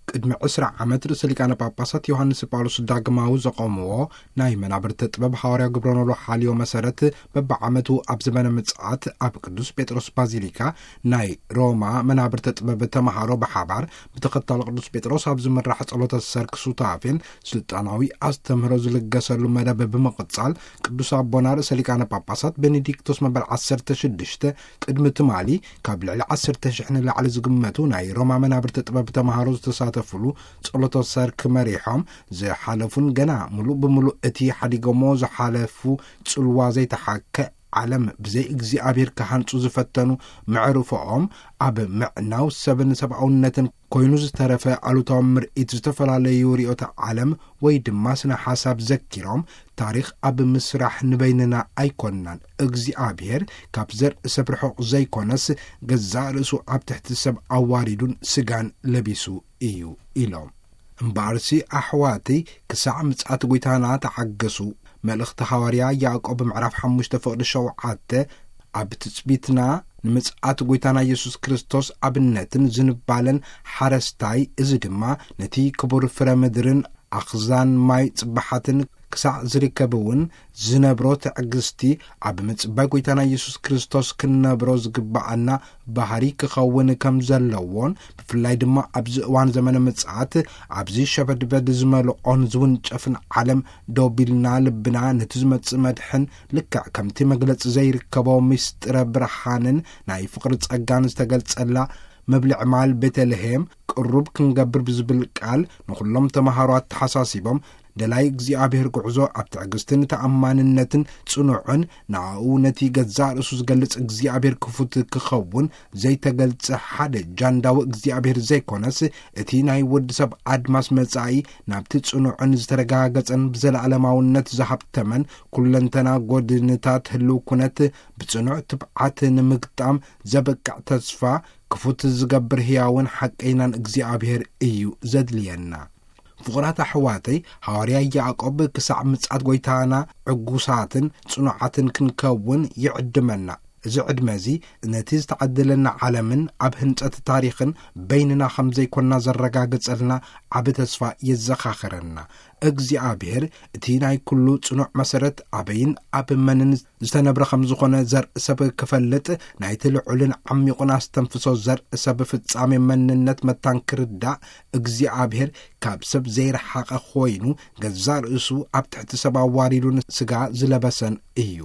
ቅድሚ ዕስራ ዓመት ርእሰ ሊቃነ ጳጳሳት ዮሃንስ ጳውሎስ ዳግማዊ ዘቖምዎ ናይ መናብርተ ጥበብ ሃዋርያ ግብረ ኖሎ ሓልዮ መሰረት፣ በብዓመቱ ኣብ ዘመነ ምጽኣት ኣብ ቅዱስ ጴጥሮስ ባዚሊካ ናይ ሮማ መናብርተ ጥበብ ተመሃሮ ብሓባር ብተኸታሊ ቅዱስ ጴጥሮስ ኣብ ዝምራሕ ጸሎተ ሰርክ ሱታፌን ስልጣናዊ ኣስተምህሮ ዝልገሰሉ መደብ ብምቕጻል፣ ቅዱስ ኣቦና ርእሰ ሊቃነ ጳጳሳት ቤኔዲክቶስ መበል ዓሰርተ ሽዱሽተ ቅድሚ ትማሊ ካብ ልዕሊ ዓሰርተ ሽሕ ንላዕሊ ዝግመቱ ናይ ሮማ መናብርተ ጥበብ ተመሃሮ ዝተሳተፉሉ ጸሎተ ሰርክ መሪሖም ዝሓለፉን ገና ምሉእ ብምሉእ እቲ ሓዲጎሞ ዝሓለፉ ጽልዋ ዘይተሓከ ዓለም ብዘይ እግዚኣብሔር ክሃንጹ ዝፈተኑ መዕርፎኦም ኣብ ምዕናው ሰብን ሰብኣውነትን ኮይኑ ዝተረፈ ኣሉታዊ ምርኢት ዝተፈላለዩ ርእዮተ ዓለም ወይ ድማ ስነ ሓሳብ ዘኪሮም፣ ታሪኽ ኣብ ምስራሕ ንበይንና ኣይኮንናን፣ እግዚኣብሔር ካብ ዘርኢ ሰብ ርሑቕ ዘይኮነስ ገዛእ ርእሱ ኣብ ትሕቲ ሰብ ኣዋሪዱን ስጋን ለቢሱ እዩ ኢሎም። እምበኣርሲ ኣሕዋተይ ክሳዕ ምጽኣት ጐይታና ተዓገሱ። መልእኽቲ ሃዋርያ ያዕቆብ ምዕራፍ ሓሙሽተ ፍቕዲ ሸውዓተ ኣብ ትጽቢትና ንምጽኣት ጐይታና የሱስ ክርስቶስ ኣብነትን ዝንባለን ሓረስታይ፣ እዚ ድማ ነቲ ክቡር ፍረ ምድርን ኣኽዛን ማይ ጽባሓትን ክሳዕ ዝርከብ እውን ዝነብሮ ትዕግስቲ ኣብ ምጽባይ ጐይታና የሱስ ክርስቶስ ክንነብሮ ዝግብኣና ባህሪ ክኸውን ከም ዘለዎን፣ ብፍላይ ድማ ኣብዚ እዋን ዘመነ ምጽኣት ኣብዚ ሸበድበድ ዝመልኦን ዝውንጨፍን ዓለም ደው ቢልና ልብና ነቲ ዝመጽእ መድሕን ልክዕ ከምቲ መግለጺ ዘይርከቦ ምስጢረ ብርሃንን ናይ ፍቕሪ ጸጋን ዝተገልጸላ መብልዒ ማል ቤተልሔም ቅሩብ ክንገብር ብዝብል ቃል ንኹሎም ተመሃሮ ኣተሓሳሲቦም፣ ደላይ እግዚኣብሔር ጉዕዞ ኣብ ትዕግስትን ተኣማንነትን ጽኑዕን፣ ንኣኡ ነቲ ገዛእ ርእሱ ዝገልጽ እግዚኣብሔር ክፉት ክኸውን ዘይተገልጸ ሓደ ጃንዳዊ እግዚኣብሔር ዘይኮነስ፣ እቲ ናይ ወዲ ሰብ ኣድማስ መጻኢ ናብቲ ጽኑዕን ዝተረጋገጸን ብዘለኣለማውነት ዝሃብተመን ኩለንተና ጐድንታት ህልው ኩነት ብጽኑዕ ትብዓት ንምግጣም ዘበቅዕ ተስፋ ክፉት ዝገብር ህያውን ሓቀይናን እግዚኣብሔር እዩ ዘድልየና። ፍቑራት ኣሕዋተይ፣ ሃዋርያ ያዕቆብ ክሳዕ ምጽኣት ጐይታና ዕጉሳትን ጽኑዓትን ክንከውን ይዕድመና። እዚ ዕድመ እዚ ነቲ ዝተዓደለና ዓለምን ኣብ ህንጸት ታሪኽን በይንና ከም ዘይኮንና ዘረጋግጸልና ዓቢ ተስፋ የዘኻኽረና። እግዚኣብሔር እቲ ናይ ኩሉ ጽኑዕ መሰረት ኣበይን ኣብ መንን ዝተነብረ ከም ዝኾነ ዘርኢ ሰብ ክፈልጥ፣ ናይቲ ልዑልን ዓሚቑን ኣስተንፍሶ ዘርኢ ሰብ ፍጻሜ መንነት መታን ክርዳእ፣ እግዚኣብሔር ካብ ሰብ ዘይረሓቐ ኮይኑ፣ ገዛእ ርእሱ ኣብ ትሕቲ ሰብ ኣዋሪዱን ስጋ ዝለበሰን እዩ።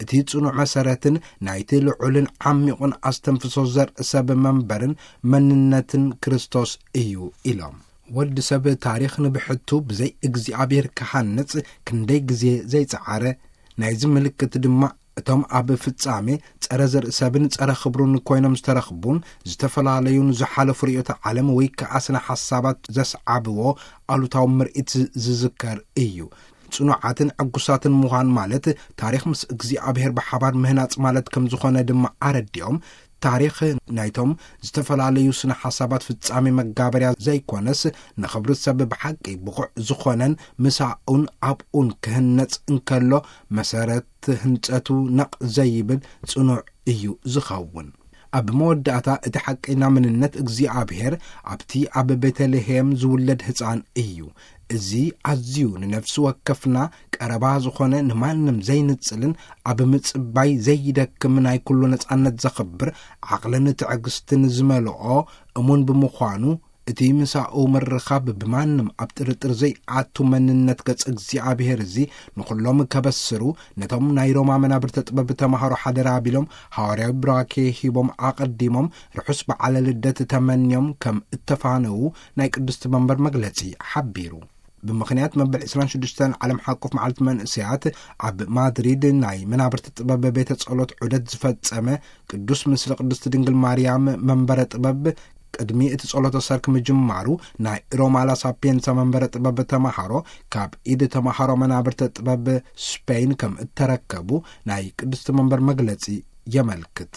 እቲ ጽኑዕ መሰረትን ናይቲ ልዑልን ዓሚቑን ኣስተንፍሶ ዘርኢ ሰብ መንበርን መንነትን ክርስቶስ እዩ ኢሎም። ወዲ ሰብ ታሪኽ ንብሕቱ ብዘይ እግዚኣብሔር ክሃንጽ ክንደይ ግዜ ዘይጸዓረ፣ ናይዚ ምልክት ድማ እቶም ኣብ ፍጻሜ ጸረ ዘርኢ ሰብን ጸረ ክብሩን ኮይኖም ዝተረኽቡን ዝተፈላለዩን ዝሓለፉ ርእዮተ ዓለም ወይ ከኣ ስነ ሓሳባት ዘስዓብዎ ኣሉታዊ ምርኢት ዝዝከር እዩ። ጽኑዓትን ዕጉሳትን ምዃን ማለት ታሪኽ ምስ እግዚኣብሔር ብሓባር ምህናጽ ማለት ከም ዝኾነ ድማ ኣረዲኦም፣ ታሪኽ ናይቶም ዝተፈላለዩ ስነ ሓሳባት ፍጻሜ መጋበርያ ዘይኮነስ፣ ንኽብሪ ሰብ ብሓቂ ብቑዕ ዝኾነን ምሳኡን ኣብኡን ክህነጽ እንከሎ መሰረት ህንጸቱ ነቕ ዘይብል ጽኑዕ እዩ ዝኸውን። ኣብ መወዳእታ እቲ ሓቀይና መንነት እግዚኣብሔር ኣብቲ ኣብ ቤተልሔም ዝውለድ ህጻን እዩ። እዚ ኣዝዩ ንነፍሲ ወከፍና ቀረባ ዝኾነ ንማንም ዘይንጽልን ኣብ ምጽባይ ዘይደክም ናይ ኩሉ ነጻነት ዘኽብር ዓቕልን ትዕግስትን ዝመልኦ እሙን ብምዃኑ፣ እቲ ምሳኡ ምርኻብ ብማንም ኣብ ጥርጥር ዘይኣቱ መንነት ገጽ እግዚኣብሔር እዚ ንኹሎም ከበስሩ ነቶም ናይ ሮማ መናብርተ ጥበብ ተማሃሮ ሓደራ ኣቢሎም ሃዋርያዊ ብራኬ ሂቦም ኣቐዲሞም ርሑስ በዓለ ልደት ተመንዮም ከም እተፋነዉ ናይ ቅድስቲ መንበር መግለጺ ሓቢሩ። ብምኽንያት መበል ዕስራን ሽዱሽተን ዓለም ሓቆፍ መዓልቲ መንእሰያት ኣብ ማድሪድ ናይ መናብርቲ ጥበብ ቤተ ጸሎት ዑደት ዝፈጸመ ቅዱስ ምስሊ ቅድስቲ ድንግል ማርያም መንበረ ጥበብ ቅድሚ እቲ ጸሎተ ሰርክ ምጅማሩ ናይ ሮማ ላ ሳፒየንሳ መንበረ ጥበብ ተማሃሮ ካብ ኢድ ተማሃሮ መናብርተ ጥበብ ስፔን ከም እተረከቡ ናይ ቅድስቲ መንበር መግለጺ የመልክት።